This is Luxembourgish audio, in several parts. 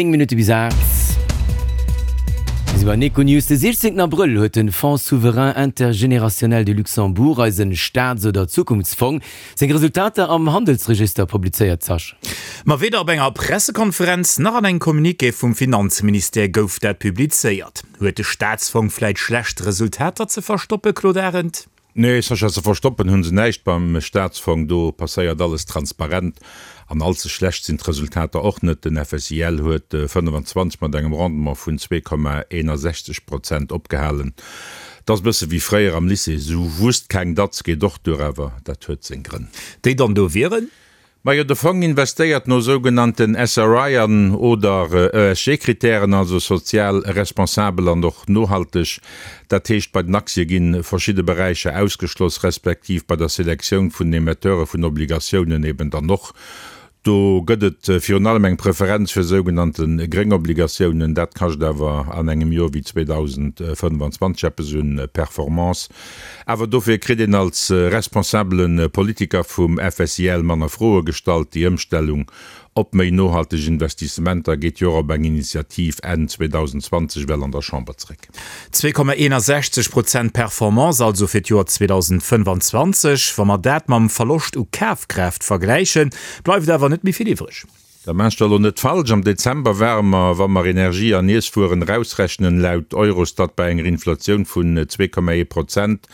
9 Minutte bis 8. Mir si bei den Econews. De 16 Abrëll huet de Fonds souverain intergénérationnel du Luxembourg, eisen Staats oder Zukunftsfong, seng Resultater am Handelsregister publizéiert. Sascha. Ma weder op enger Pressekonferenz nach an engem Communiqué vum Finanzministère gouf dat publizéiert. Huet de Staatsfong vläit schlecht Resultater ze verstoppen, Claude Arend? Nee, Sascha, ze verstoppen hunn se näischt beim Staatsfong. Do passéiert alles transparent an all ze schlecht sinn d'Resultater och net. Den FSIL huet 25 mat engem Rendement vun 2,61 Prozent opgehalen. 't ass bësse wéi fréier am Lycée, sou wusst keng Datz geet och duer, awer dat huet seng Grënn. Déi dann do wieren? Majo, de Fong investéiert no sougenannten SRI an oder ESG-Kritären, also sozial responsabel an och nohalteg. Dat heescht, bei den Aktie gi verschidde Beräicher ausgeschloss, respektiv bei der Selektioun vun den Emetteure vun Obligatiounen eben dann och. Do gëtt et virun allem eng Preferenz fir sougenannte gréng Obligatiounen. Dat kascht awer an engem Joer wéi 2025 eppes un Performance. Awer dofir kritt een als responsabele Politiker vum FSIL manner Froe gestallt. Déi Ëmstellung op méi nohalteg Investissementer geet jo och op eng Initiativ Enn 2020 well an der Chamber zréck. 2,61 Prozent Performance also fir d'Joer 2025. Wa mer dat mam Verloscht u Kafkraaft vergläichen, bleift awer net méi vill iwwreg. Da maacht der elo net falsch, am Dezember ware mer, wa mer Energie an Iesswueren erausrechnen, laut Eurostat bei enger Inflatioun vun 2,1 Prozent.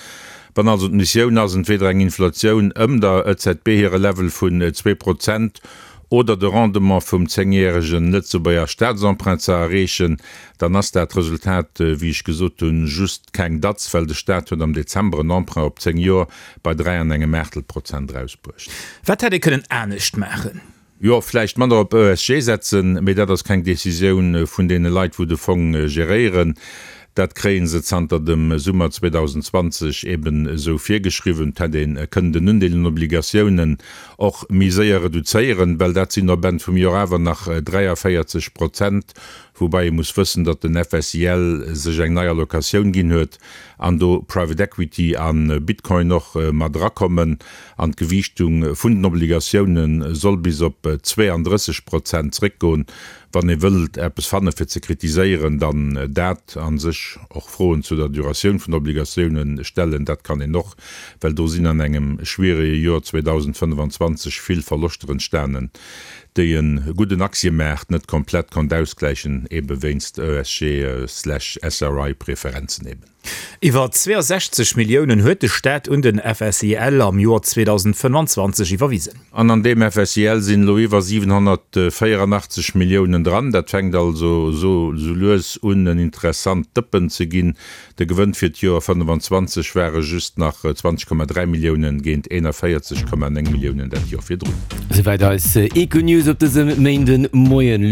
Wann also d'Missioun ass, entweder eng Inflatioun ëm der EZB hire Level vun 2 Prozent oder de Rendement vum zéngjäregen Lëtzebuerger Staatsemprunt ze erreechen, dann ass dat Resultat, wéi ech gesot hunn, just keng Datz, well de Staat huet am Dezember en Emprunt op 10 Joer bei 3 an engem Aachtel Prozent erausbruecht. Wat hätt ee kënnen anescht maachen? Jo, vläicht manner op ESG setzen, mee dat ass keng Decisioun vun deene Leit, wou de Fong geréieren. Dat kréie se zanter dem Summer 2020 eben esou virgeschriwwen. Et hätt ee kënnen den Undeel un Obligatiounen och méi séier reduzéieren, well dat sinn op Enn vum Joer awer nach 43 Prozent, woubai ee muss wëssen, datt den FSIL sech eng nei Allocatioun ginn huet an do Private Equity a Bitcoin och mat erakommen an d'Gewiichtung vun den Obligatioune soll bis op 32 Prozent zréckgoen. Wann ee wëllt eppes fanne fir ze kritiséieren, dann dat, a sech och Froen zu der Duratioun vun Obligatioune stellen, dat kann een och, well do sinn an engem schwierege Joer 2025 vill Verloschter entstanen, déi e gudden Aktiemaart net komplett konnt ausgläichen, ebe wéinst ESG slash SRI Preferenzen eben. Iwwer 62 Milliounen huet de Staat un den FSIL am Joer 2025 iwwerwisen. An an deem FSIL sinn elo iwwer 784 Milliounen dran. Dat fänkt also esou lues un en interessant Dëppen ze ginn. De Gewënn fir d'Joer 25 ware just nach 20,3 Milliounen géint 41,9 Milliounen dat Joer virdrun. Souwäit eis Econews op dësem Méindemoien.